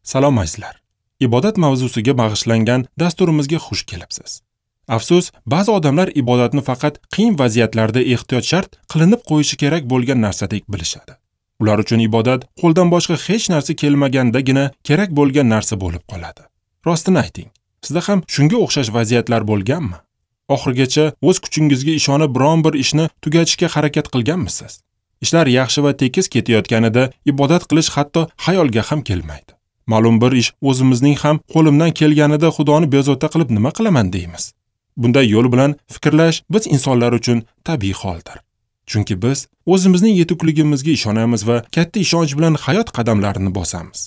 Salom azizlar. Ibodat mavzusiga bag'ishlangan dasturimizga xush kelibsiz. Afsus, ba'zi odamlar ibodatni faqat qiyin vaziyatlarda ehtiyot shart qilinib qo'yishi kerak bo'lgan narsadek bilishadi. Ular uchun ibodat qo'ldan boshqa hech narsa kelmagandagina kerak bo'lgan narsa bo'lib qoladi. Rostini ayting, sizda ham shunga o'xshash vaziyatlar bo'lganmi? Oxirigacha o'z kuchingizga ishonib biron bir ishni tugatishga harakat qilganmisiz? Ishlar yaxshi va tekis ketayotganida ibodat qilish hatto xayolga ham kelmaydi. Ma'lum bir ish o'zimizning ham qo'limdan kelganida Xudoni bezovta qilib nima qilaman deymiz. Bunday yo'l bilan fikrlash biz insonlar uchun tabiiy holdir. Chunki biz o'zimizning yetukligimizga ishonamiz va katta ishonch bilan hayot qadamlarini bosamiz.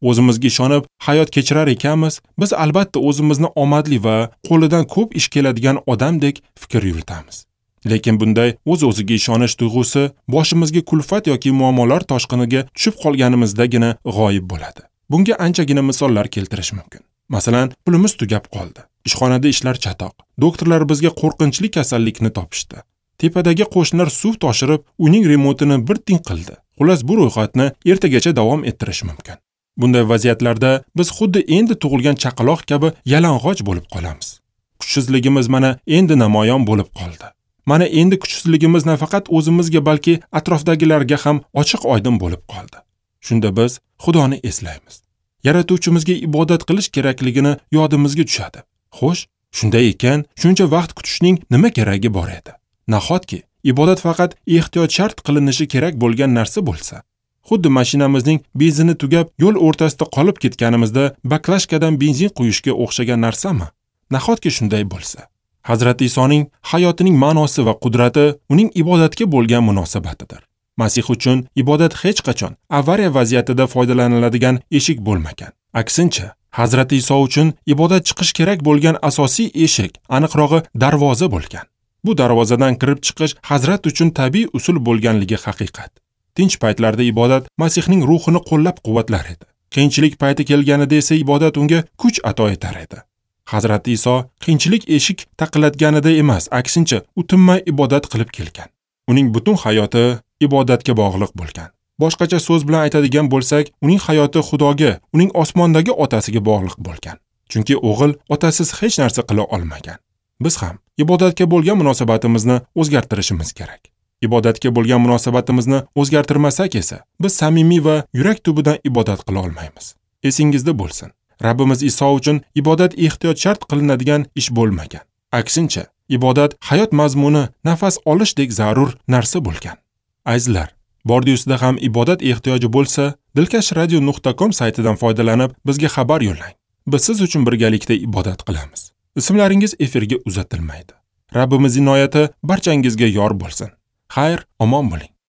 O'zimizga ishonib hayot kechirar ekanmiz, biz albatta o'zimizni omadli va qo'lidan ko'p ish keladigan odamdek fikr yuritamiz. Lekin bunday o'z-o'ziga ishonish tuyg'usi boshimizga kulfat yoki muammolar toshqiniga tushib qolganimizdagina g'oyib bo'ladi. Bunga anchagina misollar keltirish mumkin. Masalan, pulimiz tugab qoldi. Ishxonada ishlar chatoq. Doktorlar bizga qo'rqinchli kasallikni topishdi. Tepadagi qo'shnilar suv toshirib, uning remontini bir ting qildi. Xullas, bu ro'yxatni ertagacha davom ettirish mumkin. Bunday vaziyatlarda biz xuddi endi tug'ilgan chaqaloq kabi yalang'och bo'lib qolamiz. Kuchsizligimiz mana endi namoyon bo'lib qoldi. Mana endi kuchsizligimiz nafaqat o'zimizga, balki atrofdagilarga ham ochiq-oydin bo'lib qoldi. Shunda biz Xudoni eslaymiz. Yaratuvchimizga ibodat qilish kerakligini yodimizga tushadi. Xo'sh, shunday ekan, shuncha vaqt kutishning nima keragi bor edi? Nahotki ibodat faqat ehtiyot shart qilinishi kerak bo'lgan narsa bo'lsa? Xuddi mashinamizning benzini tugab, yo'l o'rtasida qolib ketganimizda baklashkadan benzin quyishga o'xshagan narsami? Nahotki shunday bo'lsa? Hazrat Isoning hayotining ma'nosi va qudrati uning ibodatga bo'lgan munosabatidir. Masih uchun ibodat hech qachon avariya vaziyatida foydalaniladigan eshik bo'lmagan. Aksincha, Hazrat Iso uchun ibodat chiqish kerak bo'lgan asosiy eshik, aniqrog'i darvoza bo'lgan. Bu darvozadan kirib chiqish Hazrat uchun tabiiy usul bo'lganligi haqiqat. Tinch paytlarda ibodat Masihning ruhini qo'llab-quvvatlar edi. Qiyinchilik payti kelganida esa ibodat unga kuch ato etar edi. Hazrat Iso qiyinchilik eshik taqillatganida emas, aksincha, u tinmay ibodat qilib kelgan. Uning butun hayoti ibodatga bog'liq bo'lgan. Boshqacha so'z bilan aytadigan bo'lsak, uning hayoti Xudoga, uning osmondagi otasiga bog'liq bo'lgan. Chunki o'g'il otasiz hech narsa qila olmagan. Biz ham ibodatga bo'lgan munosabatimizni o'zgartirishimiz kerak. Ibodatga bo'lgan munosabatimizni o'zgartirmasak esa, biz samimiy va yurak tubidan ibodat qila olmaymiz. Esingizda bo'lsin, Rabbimiz Iso uchun ibodat ehtiyot shart qilinadigan ish bo'lmagan. Aksincha, ibodat hayot mazmuni, nafas olishdek zarur narsa bo'lgan. Azizlar, bordi-ustida ham ibodat ehtiyoji bo'lsa, dilkashradio.com saytidan foydalanib bizga xabar yo'llang. Biz siz uchun birgalikda ibodat qilamiz. Ismlaringiz efirga uzatilmaydi. Rabbimiz inoyati barchangizga yor bo'lsin. Xayr, omon bo'ling.